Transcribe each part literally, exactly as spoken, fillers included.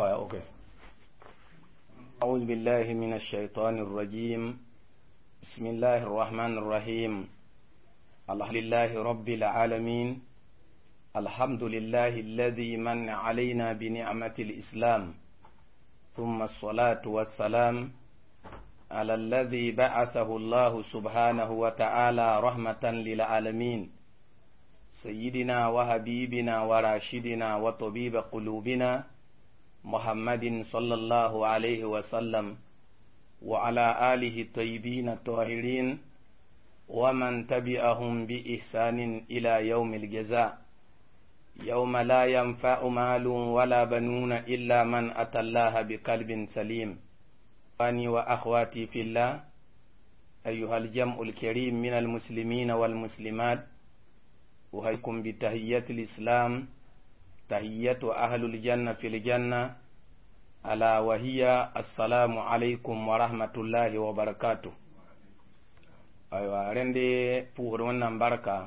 Okay. أعوذ بالله من الشيطان الرجيم بسم الله الرحمن الرحيم الحمد لله رب العالمين الحمد لله الذي من علينا بنعمة الإسلام ثم الصلاة والسلام على الذي بعثه الله سبحانه وتعالى رحمة للعالمين سيدنا وحبيبنا وراشدنا وطبيب قلوبنا محمد صلى الله عليه وسلم وعلى آله الطيبين الطاهرين ومن تبعهم بإحسان إلى يوم الجزاء يوم لا ينفع مال ولا بنون إلا من أتى الله بقلب سليم إخواني وأخواتي في الله أيها الجمع الكريم من المسلمين والمسلمات أهيكم بتهية الإسلام تهية أهل الجنة في الجنة ألا وهي السلام عليكم ورحمة الله وبركاته أيوة رندي پوغر ونن بركة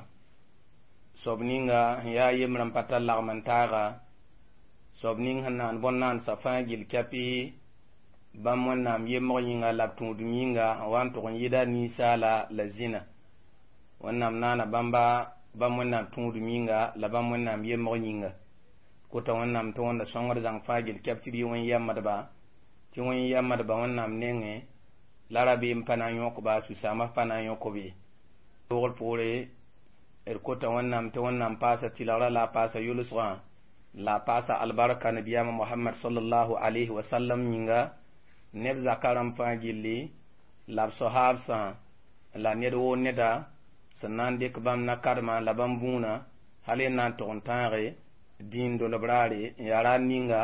sob ninga n yaa yembrã n pa tar lagm n taaga sob ning sẽn naan bõn-naandsã fãa gill kɛpɩ bãmb wẽnnaam yembg yĩnga la b tũudem yĩnga n wa n tʋg n yɩda ninsaala la zĩna wẽnnaam naana bãmba bãmb wẽnnaam tũudem yĩnga la bãmb wẽnnaam yembg yĩnga kota wẽnnaam tɩ wẽnda sõngd zãng fãa gill kɛp tɩ d yɩ wẽn-yɛmbdba tɩ wẽn-yɛmbdba wẽnnaam nengẽ la rabeem pa na n yõkba sũ-saamã pa na n yõk-b ye loogr poore d kota wẽnnaam tɩ wẽnnaam paasa tɩlgrã la a paasa yʋlsgã la a paasa albarka nabiyaamã mohamad salallahu alayhi wa sallam yĩnga neb zaka rãmb fãa gilli la b sohaabsã la ned woo neda sẽn na n dɩk bãmb na-karemã la bãmb bũuna hal y na n tʋg n tãage dĩin dolb raare n yaa raar ninga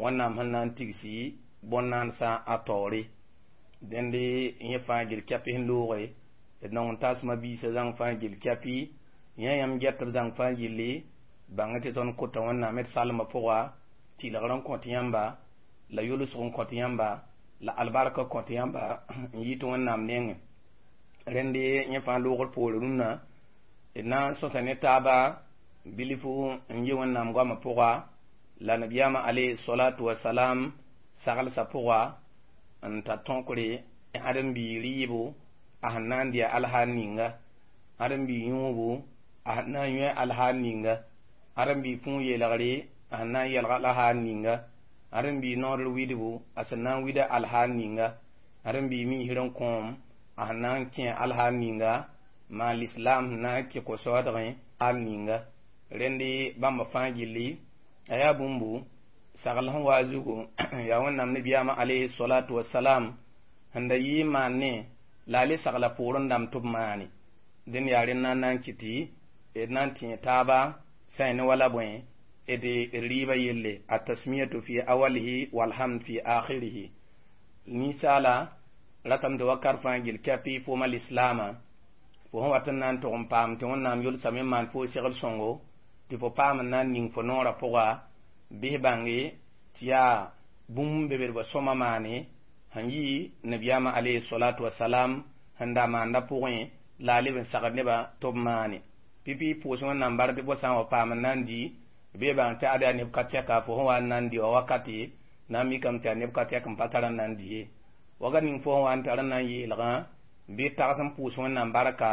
wẽnnaam sẽn na n tigsi bõn-naansã a taoore dẽnde yẽ fãa gil kɛpɩ sẽn looge d nong n tasma biisã zãng fãa gil kɛpɩ yã yãmb get b zãng fãa gilli bãng tɩ tõnd kota wẽnnaam d salmã pʋga tɩlgr n kõt yãmba la yʋlsg n kõt yãmba la albarka kõt yãmba n yit wẽnnaam nengẽ rẽnde yẽ fãa loogr poore rũnnã d na n sõsa ne taaba bilfu n yi wẽnnaam goamã pʋga la nabiyaamã alayhi salatu wasalam saglsã pʋga n ta tõkre ãdem-biig rɩɩbo a sẽn na n dɩ a alhaal ninga ãdem-biig yũubu a sẽn na n yõ alhaal ninga ãdem-biig fũu yeelgre a sẽn na n yɛlg alhaal ninga ãdem-biig noodr widbu a sẽn na n wida alhaal ninga ãdem-biig miisr n kõom a sẽn na n kẽ alhaal ninga maan lislaam sẽn na n kẽ ko-soaadgẽ al ninga rẽnde bãmba fãa gilli a yaa bũmbu sagl sẽn wa zugu yaa wẽnnaam nabiyaamã alayhi salatu wasalam sẽn da yɩ n maan ne la a le sagla poorẽ dãmb tɩ b maane dẽnd yaa rẽnd na n na n kɩ tɩ d na n tẽ taaba sã ne wala bõe d rɩɩbã yelle atasmiyatu fi awalihi walhamd fi akhirihi ninsaala ratame tɩ wakat fãa gil kɛpɩ fooma lislaamã fo sẽn wat n na n tʋg n paam tɩ wẽnnaam yʋlsame n maan fo segl sõngo tɩ fo paam n na n ning fo noorã pʋga bɩs bãnge tɩ yaa bũmb be b sõma maane sẽn yɩ nabiyaamã alayhi salatu wasalam sẽn da maanda pʋgẽ la a leb n sagd nebã tɩ b maane pipi pʋʋs wẽnnaam bar tɩ fo sã n wa paam n na n di bɩ bãng tɩ ad yaa neb ka tɛka fo sẽn wa n na n di wa wakate na n mikame tɩ yaa neb ka tɛk n pa tar n na n di ye wakat ning fo sẽn wa n tar n na n yeelgã bɩ tags n pʋʋs wẽnnaam barka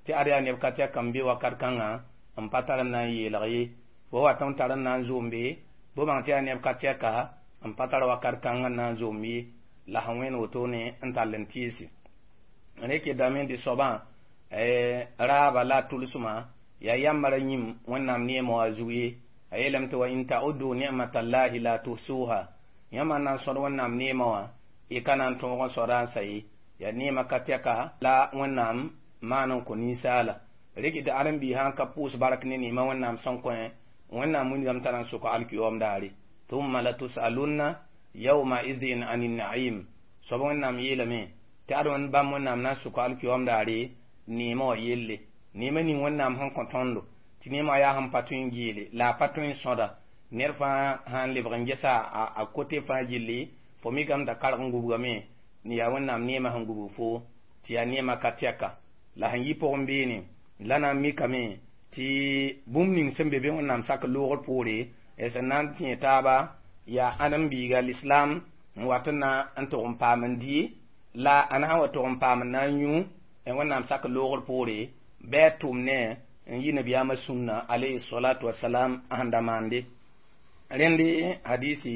tɩ ad yaa neb ka tɛk n be wakat kãngã n pa tar n na n yeelg ye fo wat n tar n na n zoom be bɩ bãng tɩ yaa neb ka tɛka n pa tar wakat kãng n na n zoom ye la sẽn wẽnd wotone n tall n tɩɩse rẽ dame tɩ soabã raaba la a tʋlsmã yaa yãmba ra yĩm wẽnnaam neemã wã zug ye a yeelame tɩ wa in ta'udu ni'matallahi la tuhsuha yãmba n na n sõd wẽnnaam neemã wã y ka na n tõog n sõda n sa ye yaa neemã ka tɛka la wẽnnaam maan n kõ ninsaala rɩk tɩ ãdem-biig sã n ka pʋʋs bark ne neemã wẽnnaam sẽn kõ wẽnnaam wilgame tara n sʋk alkiyoom daare thumma latusalunna yawma idhin ani naim soab wẽnnaam yeelame tɩ ad wẽnd bãmb wẽnnaam na n sʋk alkiyoom daare neemã wã yelle neemã ning wẽnnaam sẽn kõ tõndo tɩ neemã yaa sẽn pa tõe n geele la a pa tõe n sõda ned fãa sãn lebg n gesa a kote fãa gilli fo mikame t'a karg n gubgame yaa wẽnnaam neemã sẽn gubg fo tɩ yaa neemã ka tɛka la sẽn yi pʋgẽ beene la na n mikame tɩ bũmb ning sẽn be be wẽnnaam sak loogr poore sẽn na n tẽ taaba Yaa ãdem-biiga l'islam n wat n na n tʋg n paam n dɩ la a na n wa tʋg n paam n na n yũ n Wẽnnaam sak loogr poore bɩ a tʋm ne n yi nabiyaamã sũnna alayhi salatu wasalam a sẽn da maande rẽnd hadisi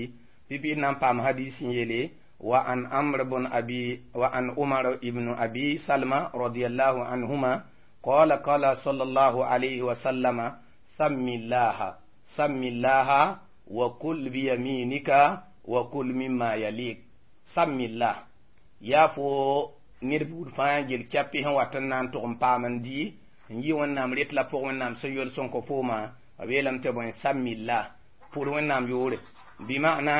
pipi na n paam hadisi n yeele wa an amr bn abi wa an umar ibn abi salma radiallahu anhuma qala qala sallallahu alayhi wa sallama sammi llaha sammi llaha wa kul biyaminika wa kul mimma yalik sammi llah yaa fo ned buud fãa gel kɛpɩ sẽn wat n na n tʋg n paam n dɩ n yi Wẽnnaam ret la pʋg Wẽnnaam sẽn yol sõn kõ fooma b yeelame tɩ bõe samillah pʋd Wẽnnaam yoore bɩ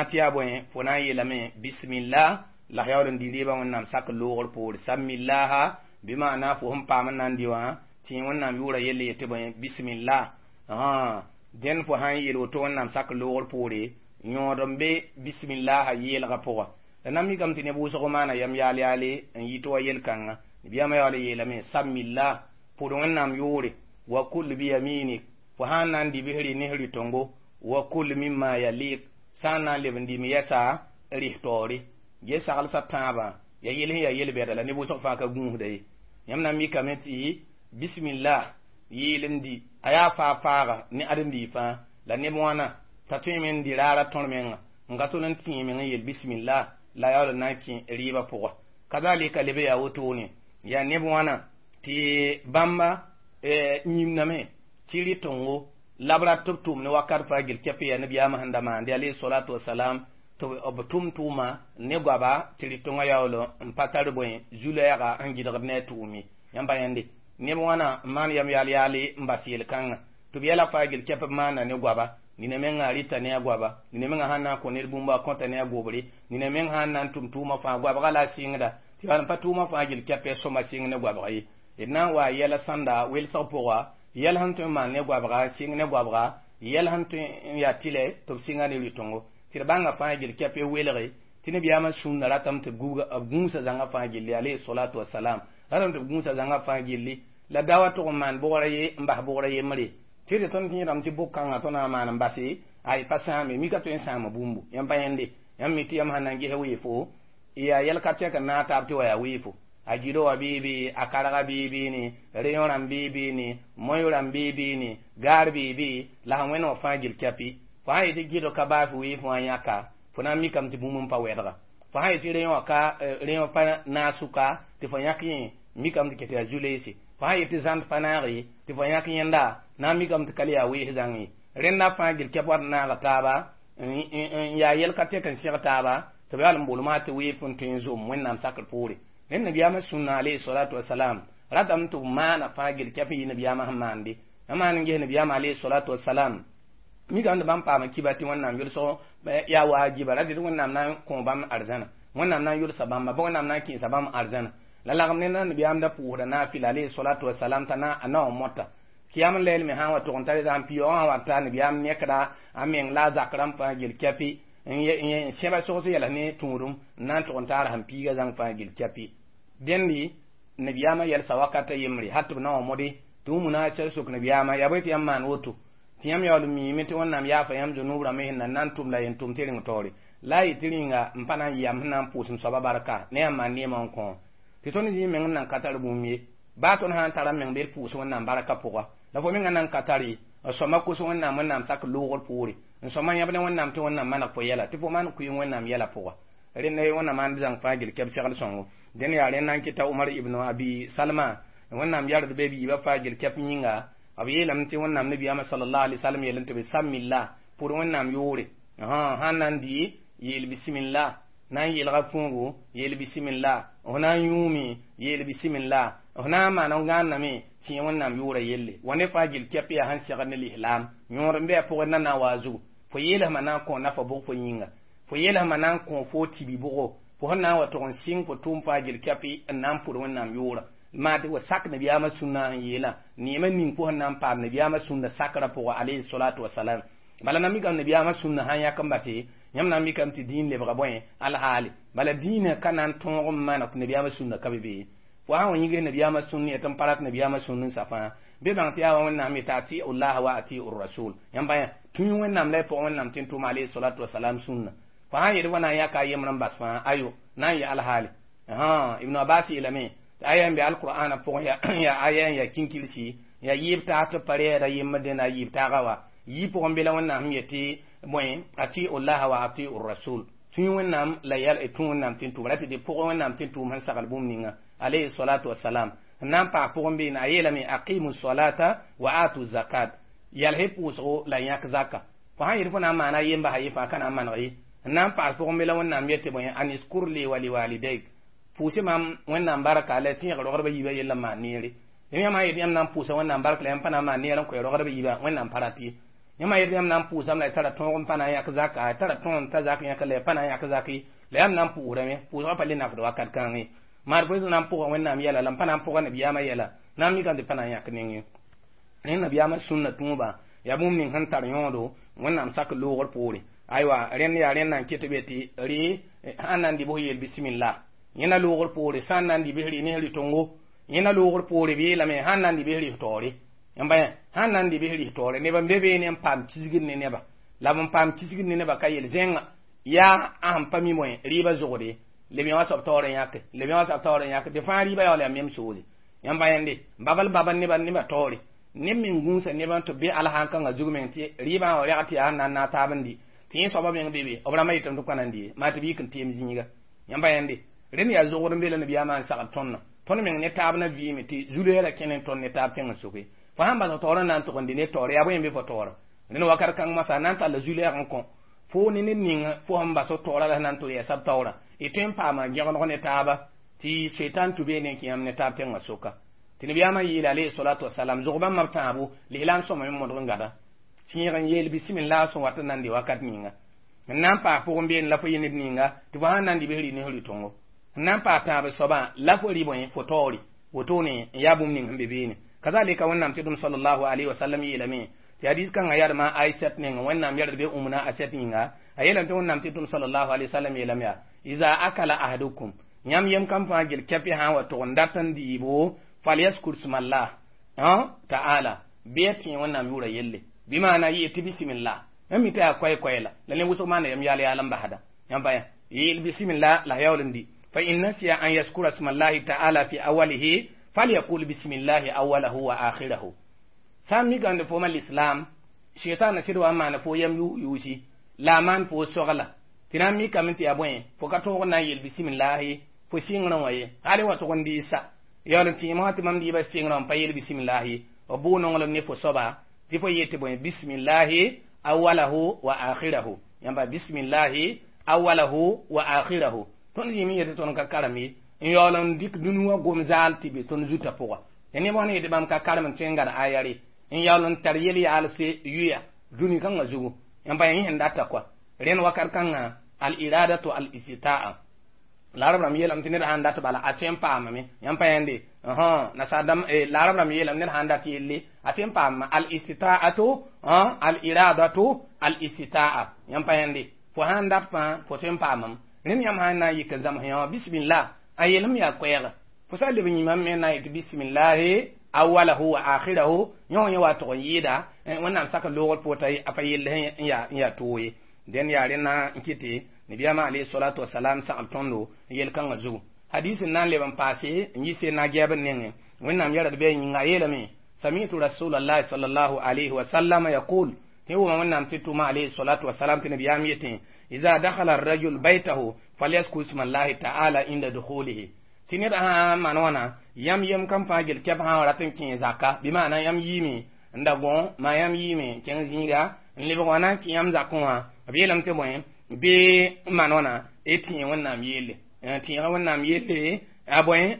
tɩ yaa bõe fo na n yeelame bismillah la f yaool n dɩ reebã Wẽnnaam sak loogr poore sammillaha bɩ maana fo sẽn paam n na n dɩ wã tɩ Wẽnnaam yʋʋra yelle yetɩ bõe bismillah dẽnd fo sã n yeel woto Wẽnnaam sak loogr poore yõod n be bismillaha yeelgã pʋga la na mikame tɩ neb wʋsg maana yam yaal yaale n yɩ tɩ wa yel-kãnga nabiyaamã yaool n yeelame samillah pʋd Wẽnnaam yʋʋre wa kul biyaminik fo sã n na n dɩ bɩ rɩ ne rɩ-tõngo wa kul mimma yalik sã n na n leb n dɩm yɛsa rɩs taoore ge saglsa tãabã ya yel sẽn yaa yel-bɛda la neb wʋsg fãa ka gũusda ye yãmb na n mikame tɩ bismillah yeel n dɩ a yaa faa faaga ne ãdem-biig fãa la neb wãna t'a tõeme n dɩ raara tõr menga n ka tʋl n tĩig meng n yel bismillah la yaool n na n kẽ rɩɩbã pʋga kazalika leb yaa wotone yaa neb wãna tɩ bãmba yĩmdame tɩ rɩ-tõngo la b rat tɩ b tʋm ne wakat fãa gel kɛp yaa nabiyaamã sẽn da maande alayhi salatu wasalam tɩ b tʋm tʋʋma ne goaba tɩ rɩ-tõngã yaool n pa tar bõe zu-lɛɛga n gɩdgd ne a tʋʋm ye yãmb pa yãnde neb wãna n maan yam yaal yaale n bas yel-kãngã tɩ b yɛla fãa gel kɛp b maana ne goaba nina menga rɩta ne a goaba nina menga sãn na n kõ ned bũmb a kõta ne a gobre nina meng sãn na n tʋm tʋʋmã fãa goabga la a sɩngda tɩ yaa n pa tʋʋmã fãa gel kɛpɛ sõma sɩng ne goabga ye d na n wa yɛla sãnda welsg pʋga yɛl sẽn tõe n maan ne goabga sɩng ne goabga yɛl sẽn tõe n yaa tɩlɛ tɩ b sɩnga ne rɩ-tõngo tɩ d bãnga fãa gel kɛpɛ welge tɩ nabiyaamã sũnna ratame tɩ b gũusa zãngã fãa gilli alayhi salatu wasalam ratame tɩ b gũusa zãngã fãa gilli la dawa tʋg n maan bʋgra ye n bas bʋgra yembre tɩ tɩ tõnd kẽedame tɩ bʋk-kãngã tõnd na n maan n base ay pa sãame mika tõe n sãama bũmbu yãmb pa yẽnde yãmb mi tɩ yãmb sãn na n ges weefo yaa yɛl ka tɛk n naag taab tɩ wa yaa weefo a gɩdo wa bɩ a karga bɩ beene reõ rãmb bɩ beene moyo rãmb bɩ beene gaar bɩ be la sẽn wẽnd wã fãa gil kɛpɩ fo sã yetɩ gɩdg ka baas weef wã yãka fo na n mikame tɩ bũmb n pa wɛdga fo sã yetɩ reõ ka reõ pa naag sʋka tɩ fo yãk yẽ mikame tɩ ket yaa zu-leese fo sã yetɩ zãnd pa naag tɩ fo yãk yẽnda na n mikame tɩ ka le yaa wees zãng ye rẽnda fãa gil kɛp wat n naaga taaba n yaa yɛl ka tɛk n sẽg taaba tɩ b yaool n bolmã tɩ weef n tõe n zom Wẽnnaam sakr poore rẽnd nabiyaamã sũnna alayhi salatu wasalam ratame tɩ b maana fãa gel kɛp n yɩ nabiyaamã sẽn maande a maan n ges nabiyaamã alayhi salatu wasalam mikame tɩ bãmb paama kiba tɩ Wẽnnaam yʋlsg yaa waajiba ra tɩ Wẽnnaam na n kõ bãmb arzãna Wẽnnaam na n yʋlsa bãmba bɩ Wẽnnaam na n kẽesa bãmb arzãna la lagem ne nabiyaam da pʋʋsda naafɩla alayhi salatu wasalam t'a na a na wa mota kiyam lɛɛl me sã n wa tʋg n tar n piyoogã sã wa ta nabiyaam nekda a meng la a zak rãmb fãa gel kɛpɩ n sẽba sogs yɛls ne tũudum n na n tʋg n taar sẽn piiga zãng fãa gel kɛpɩ dẽndi nabiyaamã yɛlsa wakata yembre hal tɩ b na wa mode tɩ wũmuna sɛl sok nabiyaamã yaa bõe tɩ yãmb maan woto tɩ yãmb yaool n miime tɩ Wẽnnaam yaafa yãmb zunub rãmb sẽn na n na n tʋm la yen tʋm tɩ reng taoore la a yetɩ rĩnga n pa na n yam sẽn na n pʋʋs n soaba barka ne yãmb maan neemã n kõ tɩ tõnd zĩ meng n nan ka tar bũmb ye baa tõnd sã n tara meng bɩ d pʋʋs Wẽnnaam barka pʋga la fo menga nan ka tare n sõma kos Wẽnnaam Wẽnnaam sak loogr poore n sõma yãb ne Wẽnnaam tɩ Wẽnnaam maneg fo yɛla tɩ fo maan kʋɩ Wẽnnaam yɛla pʋga rẽnd Wẽnnaam maan zãng fãa gel kɛb segl sõngo dẽnd yaa rẽnd na n kɩta Umar ibn Abi Salma Wẽnnaam yard be biibã fãa gel kɛp yĩnga b yeelame tɩ Wẽnnaam nabiyaamã sallallahu alaihi wasallam yeelame tɩ b samillah pʋd Wẽnnaam yʋʋre sãn na n dɩ yeel bismillah na n yeelga fũugo yeel bismillah f na n yũume yeel bismillah f na n maan n gãanname tɩ yẽ Wẽnnaam yʋʋra yelle wa ne fãa gel kɛp yaa sẽn segd ne lislaam yõod n bɩ a pʋgẽ na na n wa a zugu fo yeelsmã na n kõ nafa bʋg fo yĩnga fo yeelsmã na n kõ fo tibi bʋgo fo sẽn na n wa tʋg n sɩng fo tʋʋm fãa gel kɛpɩ n na n pʋd Wẽnnaam yʋʋra maa tɩ wa sak nabiyaamã sũnna sẽn yeelã neemã ning fo sẽn na n paam nabiyaamã sũnna sakrã pʋga alayhi salatu wasalam bala na mikame nabiyaamã sũnna sãn yãk n base yãmb na n mikame tɩ dĩin lebga bõe alhaale bala dĩinã ka na n tõog n maneg tɩ nabiyaamã sũnna ka be be fo sãn wa yĩgs nabiyaamã sũnn yetɩ n pa rat nabiyaamã sũnn n sa fãa Bɩ bãng tɩ yaa Wẽnnaam yeta atiu llaha wa atiu rasul. Yãmb bã tũ Wẽnnaam la y pʋgẽ Wẽnnaam tɩ n tʋm alayhi salatu wasalam sũnna. Fo sã n yet fo na n yãka a yembr n bas fãa ayo na n yaal haali. Ibn Abbas yeelame tɩ aya n be alqur'ana pʋgẽ yaa aya n yaa kinkirsi ya yɩɩb taag tɩ pa rɛɛda yembr dẽnda a yɩɩb taaga wa yɩ pʋgẽ be la Wẽnnaam sẽn yetɩ bõe atiu llaha wa atiu rasul. Tũ Wẽnnaam la yɛl tũ Wẽnnaam tɩ n tʋm ra tɩ tɩ pʋgẽ Wẽnnaam tɩ n tʋʋm sẽn sagl bũmb ninga alayhi salatu wasalam. N na n paas pʋgẽ beene a yeelame aqimu salata wa atu zakat yals pʋʋsgo la yãk zaka. Fo sã n yet fo na n maana a yemba ye fãa ka na n maneg ye. N na n paas pʋgẽ be la Wẽnnaam yetɩ bõe aniskur li wa liwalidayk pʋʋsɩ maam Wẽnnaam barka la tẽeg rogdbã yiibã yell n maan neere. Yãmb sã n yet yãmb na n pʋʋsa Wẽnnaam barka la yãmb pa na n maan neer n koɛ rogdbã yiibã Wẽnnaam pa rat ye. Yãmb sã n yet yãmb na n pʋʋsame la y tara tõog n pa na n yãk zaka y tara tõog n ta zak yãk la y pa na n yãk zak ye la yãmb na n pʋʋsdame pʋʋsgã pa le nafd wakat kãng ye. Maar fo na n pʋga Wẽnnaam yɛla la n pa na n pʋga nabiyaamã yɛla na n mikame tɩ pa na n yãk neng ye. Rẽ nabiyaamã sũnna tũubã yaa bũmb ning sẽn tar yõodo Wẽnnaam sak loogr poore. Aywa rẽnd yaa rẽnd na n ket be tɩ rɩ sãn na n dɩ bs yeel bisimilla yẽna loogr poore sã n na n dɩ bs rɩ ne rɩ-tongo yẽna loogr poore bɩ yeelame sãn na n dɩ bs rɩs taoore yãmba sãn na n dɩ bs rɩs taoore neb n be beene n paam kisgd ne neba la b n paam kisgd ne neba ka yel zẽnga yaa a sẽn pa mi bõe rɩɩbã zogde leb yã wã soab taoor n yãke leb yã wã soab taoor n yãke tɩ fãa rɩɩbã yaool yaa mem soose yãmba yẽnde babl babl nebã nebã taoore neb meng gũusa nebã tɩ b be alsãn-kãngã zug meng tɩ rɩɩbã wã rɛg tɩ yaa sẽn na n naag taab n dɩ tɩ yẽ soabã meng be be b rãmbã yetame tɩ b ka na n dɩ ye maa tɩ b yik n teem zĩiga yãmba yẽnde rẽnd yaa zogd n be la nabiyaamã n sagl tõndã tõnd meng ne taab na vɩɩme tɩ zu-loeera kẽne tõnd ne taab tẽng n soke fo sãn bas taoor n na n tʋg n dɩ ne taoor yaa bõe n be fo taoora rẽnd wakat kãng masã na n talla zu-lɛɛg n kõ fo ne ned ning fo sẽn bas taoora la sẽn na n tʋ yɛɛsa b taoora y tõe n paama gẽgdg ne taaba tɩ setan tʋ beene n kẽ yãmb ne taab tẽngã soka tɩ nabiyaamã yeela alayhi salatu wasalam zog bãmb b tãabo lislaam sõma me modg n gada tẽeg n yeel bisimilla sẽn wat n na n dɩ wakat ninga n na n paas pʋgẽ beene la fo yɩ ned ninga tɩ fo sãn na n dɩ bs rɩ ne rɩ-tõngo n na n paas tãab soabã la fo rɩ bõe fo taoore wotone n yaa bũmb ning sẽn be beene kazalika Wẽnnaam tɩ dũm sallallahu alayhi wa sallam yeelame tɩ hadis kãngã yadma Aisat neng Wẽnnaam yɛrd be umna Aisat yĩnga a yeelame tɩ Wẽnnaam tɩ dũm sallallahu alayhi wa sallam yeelame yaa iza akala ahadukum yãmb yem kam fãa gel kɛpɩ sã n wa tʋg n dat n dɩɩbo falyaskur smallah ta'ala bɩ a tẽ Wẽnnaam yʋʋra yelle bɩ maana yɩ tɩ bisimilla yãmb mi tɩ yaa koɛɛ-koɛɛla la ne wʋsg maana yam yaal yaal n basda yãmb pa yeel bisimilla la yaool n dɩ fa in nasiya an yaskura smallahi ta'ala fi awalihi falyaqul bisimillahi awalahu wa akhirahu. Sã n mikame tɩ fo ma l'islam shaitan sɩd wa n maana fo yam yuusi la a maan fo sogla tɩ na n mikame tɩ yaa bõe fo ka tõog n na n yeel bisimillahi fo sɩngrẽ wã ye hal wa tʋg n dɩɩsa yaool n tẽem wã tɩ mam dɩɩbã sɩngrẽ wã n pa yeel bisimillahi b bʋʋ nonglem ne fo soaba tɩ fo yet tɩ bõe bisimillahi awalahu wa akhirahu yãmba bisimillahi awalahu wa akhirahu tõnd yĩm n yetɩ tõnd ka karem ye n yaool n dɩk dũni wã gom zaal tɩ be tõnd zutã pʋga tɩ neb wã ne yetɩ bãmb ka karem n tõe n gad aya re n yaool n tar yel-yaalse yuya dũni kãngã zugu yãmba yẽ sẽn data kɔa rẽnd wakat kãngã al iradatu al istitaa la arab rãmb yeelame tɩ ned sãn dat bala a tõe n paamame yãmb pa yẽnde nasaar la arab rãmb yeelame ned sãn dat yelle a tõe n paamame al istitaatu al iradatu al istitaa yãmb pa yẽnde fo sãn dat fãa fo tõe n paamame rẽnd yãmb sãn na n yik n zãms yã bisimilla a yeelem yaa koɛɛga fo sã n leb n yĩmame me na n yetɩ bisimillahi awalahu wa akhirahu yõ yẽ wa tʋg n yɩɩda Wẽnnaam sak loogr pʋgẽ t'a pa yell n yaa n yaa toog ye dẽn yaa rẽnna n kɩtɩ nabiyaamã alayhi salatu wasalam sagl tõndo n yel kãngã zugu hadis n na n leb n paase n yɩ na gɛɛb n nengẽ Wẽnnaam yɛrd bɩ a yĩnga a yeelame samitu rasulallahi sallallahu alayhi wa sallam yaqul tɩ wʋma Wẽnnaam tɩ tʋma alayhi salatu wasalam tɩ nabiyaam yetẽ iza dakhala arrajul baytahu falyaskur smallahi ta'ala inda dukhulihi tɩ ned sã n maan wãna yãmb yem kam fãa gel kɛp sã n rat n kẽ zaka bɩ maana yãmb yiime n da gõ maa yãmb yiime kẽng zĩiga n lebg wã na n kẽ yãmb zakẽ wã b yeelame tɩ bõe bɩ n maan wãna y tẽeg Wẽnnaam yelle tẽega Wẽnnaam yelle a bõe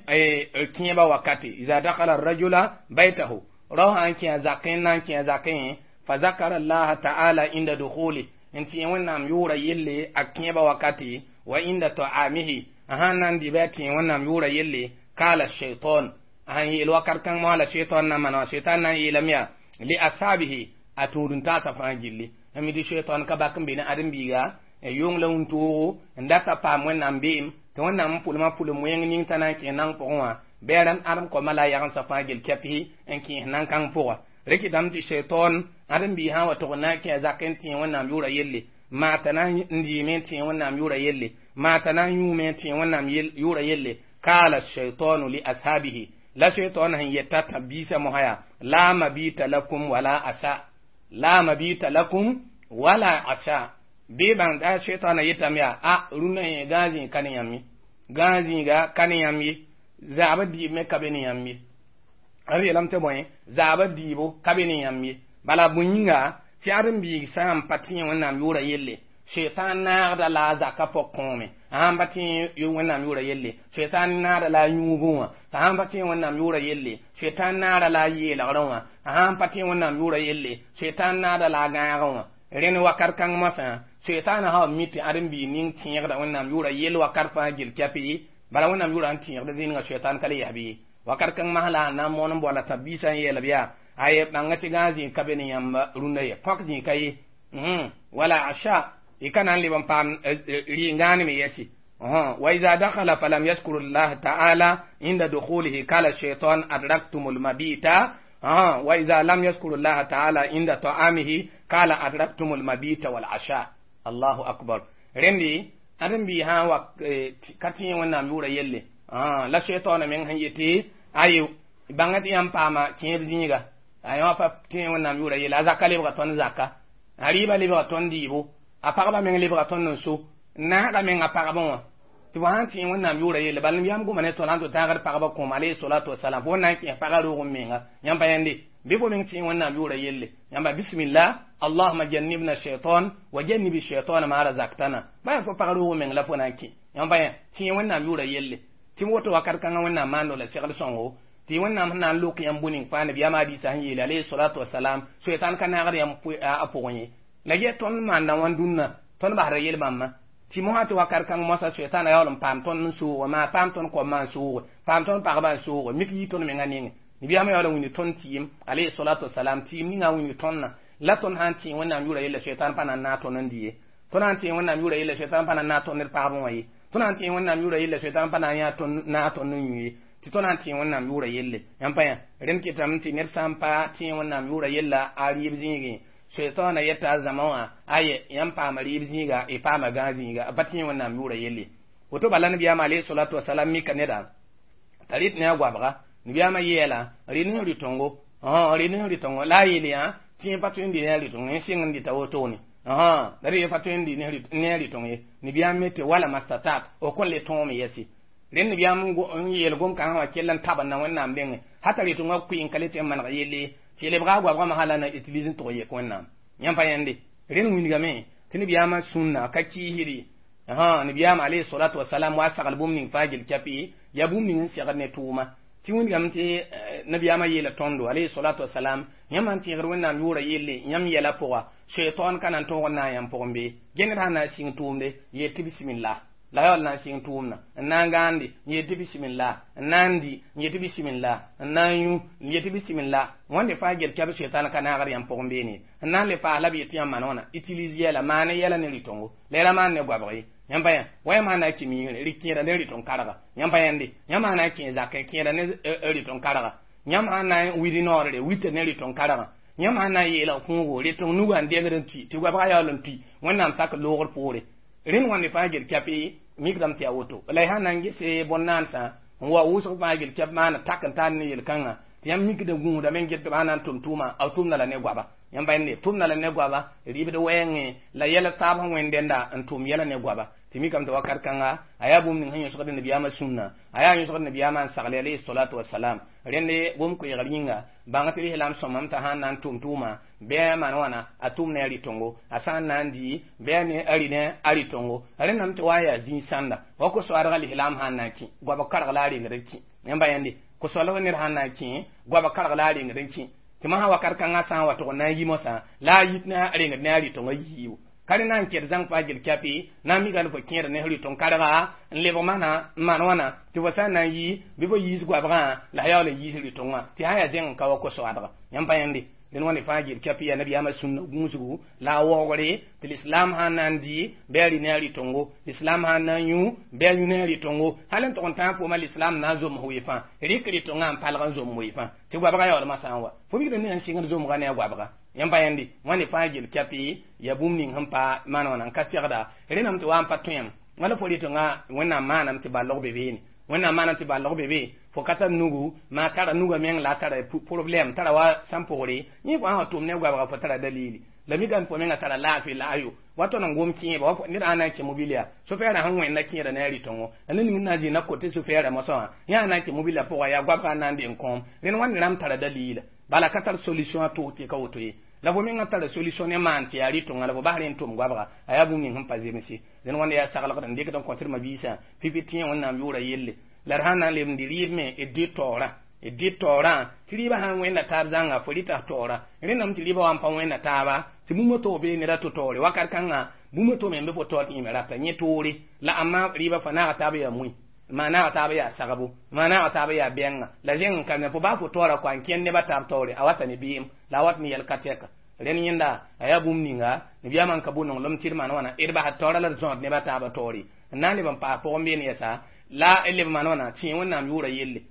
kẽebã wakate iza dakhala arrajula baytahu rao sã n kẽ a zakẽ n na n kẽ a zakẽ fa zakara allaha ta'ala inda dukhuli n tẽeg Wẽnnaam yʋʋra yelle a kẽebã wakate wa inda ta'amihi a sãn na n dɩ bɩ a tẽeg Wẽnnaam yʋʋra yelle kala shaitan a sãn yeel wakat kãng moa la shaitan na n maan wã shaitan na n yeelame yaa li ashabihi a tũud n taasa fãa gilli n mi tɩ shaitan ka bak n be ne ãdem-biiga yong la wũntoogo n data paam Wẽnnaam beem tɩ Wẽnnaam n pʋlmã pʋlem wẽng ning t'a na n kẽ nang pʋgẽ wã Bɩ ãdem koamã la a yagensã fãa gel kɛpɩ n kẽes nan-kãng pʋga rɩkɩdame tɩ shaitan ãdem-biis sã n wa tʋg n na n kẽ a zakẽ n tẽ Wẽnnaam yʋʋra yelle maa t'a na n dɩɩme n tẽ Wẽnnaam yʋʋra yelle maa t'a na n yũume n tẽ Wẽnnaam yʋʋra yelle kala shaitanu li ashabihi la shaitan sẽn yeta tã biisã mosã yaa la mabita lakum wala asa la mabita lakum wala asa bɩ bãng t'a shaitanã yetame yaa a rũnnã yẽ gãag zĩig ka ne yãmb ye gãag zĩiga ka ne yãmb ye zaabã dɩɩb me ka be ne yãmb ye d yeelame tɩ bõe zaabã dɩɩbo ka be ne yãmb ye bala bõe yĩnga tɩ ãdem-biig sã n pa tẽ Wẽnnaam yʋʋra yelle shaitan naagda la a zaka pok kõome a sãn pa tẽ Wẽnnaam yʋʋra yelle shaitan naada la a yũubẽ wã a sãn pa tẽ Wẽnnaam yʋʋra yelle shaitan naada la a yeelgrẽ wã a sãn pa tẽ Wẽnnaam yʋʋra yelle shaitan naada la a gãagẽ wã rẽnd wakat kãng mosã shaitanã sã mi tɩ ãdem-biig ning tẽegda Wẽnnaam yʋʋra yell wakat fãa gel kɛpɩ bala Wẽnnaam yʋʋra n tẽegd zĩnigã shaitan ka le yɛs bɩ wakat kãng masã la a na n moon n boala tãb-biisã n yeel b yaa aye bãnga tɩ gãag zĩig ka be ne yãmb rũndã ye põk zĩig ka ye wala asha y ka na n leb n paam rɩ-n-gãaneme yɛsi وإذا دخل فلم يذكر الله تعالى عند دخوله قال الشيطان أدركتم المبيت وإذا لم يذكر الله تعالى عند طعامه قال أدركتم المبيت والعشاء الله أكبر رندي أدم بي ها wa ka tẽ Wẽnnaam yʋʋra yelle la shaitan meng sẽn yetɩ aye bãnga tɩ yãmb paama kẽeb zĩiga a yã pa tẽ Wẽnnaam yʋʋra yelle a zaka lebga tõnd zaka a rɩɩbã lebga tõnd dɩɩbo a pagba meng lebga tõnd n so naagã meng a pagba wã tɩ fo sãn tẽ Wẽnnaam yʋʋra yelle bala yam goma ne tõnd sãn tɩ tãagd pagba kõom alayhi salatu wasalam fo na n kẽes pagã roog n menga yãmb pa yẽnde bɩ fo meng tẽ Wẽnnaam yʋʋra yelle yãmba bismillah allahuma jannibna shaitan wa jannibi shaitan ma razaktana bã fo pag roog meng la fo na n kẽ yãmb pa yẽ tẽ Wẽnnaam yʋʋra yelle tɩ woto wakat kãngã Wẽnnaam maando la segl sõngo tɩ Wẽnnaam sẽn na n lok yãmb bũ-ning fãa nabiyaamã hadiisã sẽn yeele alayhi salatu wasalam shaitan ka naagd yãmb a pʋgẽ ye la yɛ tõnd maanda wã dũnna tõnd basda yel-bãmbã tɩ mosã tɩ wakat kãng mosã shaitanã yaool n paam tõnd n sooge maa paam tõnd koamã n sooge paam tõnd pagba n sooge mik yɩ tõnd mengã nengẽ nabiyaamã yaool n wĩnd tõnd tɩɩm alayhi salatu wasalam tɩɩm ninga n wĩnd tõndã la tõnd sã n tẽ Wẽnnaam yʋʋra yella shaitan pa na n naag tõnd n dɩ ye tõnd sã n tẽ Wẽnnaam yʋʋra yella shaitan pa na n naag tõnd d pagb wã ye tõnd sã n tẽ Wẽnnaam yʋʋra yella shaitan pa na n yaa naag tõnd n yũ ye tɩ tõnd sã n tẽ Wẽnnaam yʋʋra yelle yãmb pa yã rẽnd kɩtame tɩ ned sã n pa tẽ Wẽnnaam yʋʋra yella a rɩɩb zĩigẽ shaitan yeta a zãma wã aye yãmb paama rɩɩb zĩiga y paama gãag zĩiga a pa tẽ Wẽnnaam yʋʋra yelle woto bala nabiyaamã alayhi salatu wasalam mika neda t'a rɩt ne a goabga nabiyaamã yeela rɩ ne rɩ-tõngo rɩ ne rɩ-tõngo la a yeel yã tẽ pa tõe n dɩ ne a rɩ-tõng n sɩng n dɩta wotone la rɩ pa tõe n dɩ ne a rɩ-tõng ye nabiyaam me tɩ wala mastatat o kõn le tõome yɛsi rẽnd nabiyaam n yeel gom-kãngã wã kell n tabend na Wẽnnaam dengẽ hata rɩ-tõngã kʋɩ n ka le tɩ n maneg yelle tɩ lebga a goabgã masã la na utilise n tʋg yek Wẽnnaam yãmb pa yẽnde rẽnd wĩndgame tɩ nabiyaamã sũnna ka kiisdi nabiyaam alayhi salatu wasalam wa sagl bũmb ning fãa gel kɛpɩ yaa bũmb ning n segd ne tʋʋma tɩ wĩndgame tɩ nabiyaamã yeela tõndo alayhi salatu wasalam yãmb sãn tẽegd Wẽnnaam yʋʋra yelle yãmb yɛla pʋga shaitan ka na n tõog n naag yãmb pʋgẽ bee gẽnd sã n na n sɩng tʋʋmde yeel tɩ bismillah la yaool na n sɩng tʋʋmdã n na n gãande n yeel tɩ bismillah n na n dɩ n yeel tɩ bismillah n na n yũ n yeel tɩ bismillah wãnde fãa gel kɛb shaitan ka naagd yãmb pʋgẽ beene n na n le paas la b yet tɩ yãmb maan wãna utilise yɛla maane yɛla ne rɩ-tõngo la y ra maan ne goabg ye yãmb pa yã wa yãmb sã na n kẽ miigre rɩ kẽeda ne rɩ-tõng karga yãmb pa yẽnde yãmb sã na n kẽ zakẽ kẽeda ne rɩ-tõng karga yãmb sã na n wid noorre wita ne rɩ-tõng karga yãmb sã na n yeelg kũugo rɩ-tõng nugã n dengd n tui tɩ goabgã yaool n tui Wẽnnaam sak loogr poore rẽnd wãnde fãa gel kɛpɩ mikdame tɩ yaa woto la y sã na n gese bõn-naansã n wa wʋsg fãa gel kɛp maana tak n taar ne yel-kãngã tɩ yãmb mikda gũudame n get tɩ b sã na n tʋm tʋʋma b tʋmda la ne goaba yãmb pa yẽnde tʋmda la ne goaba rɩɩbd wɛɛngẽ la yɛl taab sẽn wẽnd dẽnda n tʋm yɛla ne goaba tɩ mikame tɩ wakat kãnga a yaa bũmb ning sẽn yõsgd nabiyaamã sũnna a yaa yõsgd nabiyaamã n sagle alayhi salatu wasalam rẽnde gom-koeegr yĩnga bãng tɩ lislaam sõmame t'a sã n na n tʋm tʋʋma bɩ a maan wãna a tʋm ne a rɩ-tõngo a sã n na n dɩ bɩ a ne a rɩ ne a rɩ-tõngo rẽndame tɩ wa n yaa zĩig sãnda wa ko-soaadgã lislaam sã n na n kẽ goab karg la a rengd n kẽ yãmba yẽnde ko-soalg ned sã n na n kẽ goab karg la a rengd n kẽ tɩ mosã wakat kãngã sã n wa tʋg n na n yi mosã la a yit ne a rengd ne a rɩ-tõngã yiibu ka rẽ na n kẽd zãng fãa gel kɛpɩ na n mikame fo kẽeda ne rɩ-tõng karga n lebg mana n maan wãna tɩ fo sã n na n yi bɩ fo yiis goabgã la a yaool n yiis rɩ-tõngã tɩ sã n yaa zẽng n ka wa ko-soaadga yãmb pa yẽnde dẽn wãnde fãa gel kɛp yaa nabiyaamã sũnna gũusgu la a waoogre tɩ l'islam sã n na n dɩ bɩ a rɩ ne a rɩ-tõngo l'islam sã n na n yũ bɩ a yũ ne a rɩ-tõngo hal n tʋg n tãag fooma l'islam na n zoms wee fãa rɩk rɩ-tõngã n palg n zom wee fãa tɩ goabga yaoolmã sã n wa fo mikd ne n sɩngd zomga ne a goabga yãmb pa yẽndi wãnde fãa gel kɛpɩ yaa bũmb ning sẽn pa maan wãna n ka segda rẽndame tɩ wa n pa tõem wala fo rɩ-tõngã wẽnnaam maaname tɩ ballg be beene wẽnnaam maaname tɩ ballg be be fo ka tar nugu maa tara nuga meng la a tara problème tara wa sãn pʋgre yẽ fo sã wa tʋm ne goabga fo tara dalili la mikame fo menga tara laafɩ la ayo wa tõnd n gom kẽeba wa ned sã na n kẽ mobiliya sofɛɛrã sẽn wẽnda kẽeda ne a rɩ-tõngo la ned ning n na n zĩnda kote sofɛɛrã mosã wã yã sã na n kẽ mobilã pʋga yaa goabga n na n deng kõom rẽnd wãnd rãmb tara dalila bala ka tar solution a tʋg tɩ ka woto ye la fo menga tara solution ne maan tɩ yaa rɩ-tõnga la fo bas rẽ n tʋm goabga a yaa bũmb ning sẽn pa zemse dẽnd wãnda yaa saglgd n dɩkd n kõ tɩ d mabiisã pipi tẽ wẽnnaam yʋʋra yelle la d sã n na n leb n dɩ rɩɩb me d dɩ taoorã d dɩ taoorã tɩ rɩɩbã sã n wẽnda taab zãnga fo rɩta taoorã rẽndame tɩ rɩɩbã wa n pa wẽnda taaba tɩ bũmb to bee ned a to taoore wakat kãnga bũmb to me n be fo taoor tɩ yẽ me rata yẽ toore la amma rɩɩbã fo naaga taab yaa mui maa naaga taab yaa sagbo maa naaga taab yaa bɛnga la zẽng n ka fo baa fo taoora kɔa n kẽnd nebã taab taoore a wata ne beem la a wat ne yɛl ka tɛka rẽnd yẽnda a yaa bũmb ninga nabiyaamã n ka bʋ nonglem tɩ d maan wãna d basd taoora la d zõod nebã taabã taoore n na n leb n paas pʋgẽ beene yɛsa la leb maan wãna tẽ wẽnnaam yʋʋra yelle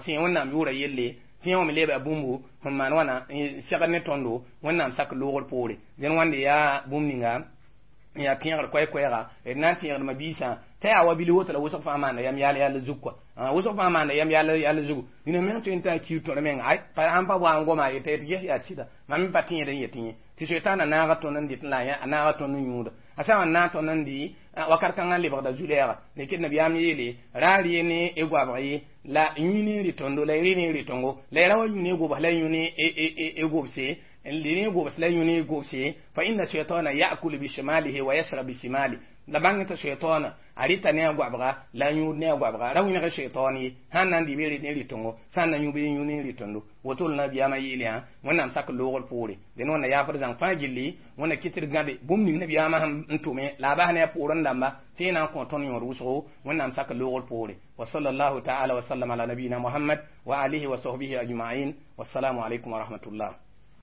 tẽ wẽnnaam yʋʋra yelle tẽ wã me leeba bũmbu sẽn maan wãna segd ne tõndo wẽnnaam sak loogr poore dẽn wãnde yaa bũmb ninga n yaa tẽegr koɛɛ-koɛɛga d na n tẽegd mabiisã t'a yaa wa bil woto la wʋsg fãa maanda yam yaal yall zug kɔa wʋsg fãa maanda yam yaal yall zugu dĩnã meng tõe n t'a kiir tõr meng ay pa sãn pa wa n goma yeta yetɩ ges yaa sɩda mam me pa tẽed n yet yẽ tɩ soetãana naaga tõnd n dɩt la a naaga tõnd n yũuda a sã n naag tõnd n dɩ wakat kãngã n lebgda zu-lɛɛga lekd nabiyaam yeele ra rɩ ne y goabg ye la yũ ne rɩ-tõndo la y rɩ ne rɩ-tõngo la y ra wa yũ ne gobs la yũ ne gobse ne gobs la yũ ne gobse fa inna shaytana ya'kulu bishimalihi wa yashrab bishimali la bãng tɩ shaytana a rɩta ne a goabga la a yũud ne a goabga ra wẽneg shaytan ye sãn na n dɩ bɩ rɩ ne rɩ-tõngo sã n na yũ bɩ yũ ne rɩ-tõndo woto la nabiyaamã yeel yã wẽnnaam sak loogr poore dẽn wãnda yaafd zãng fãa gilli wẽnna kɩt d gãde bũmb ning nabiyaamã sẽn tʋme la a bas ne a poorẽ dãmba tɩ yẽ na n kõ tõnd yõod wʋsgo wẽnnaam sak loogr poore wa sallallahu ta'ala wa sallam ala nabiyina muhammad wa alihi wa sahbihi ajma'in wassalamu alaikum wa rahmatullah.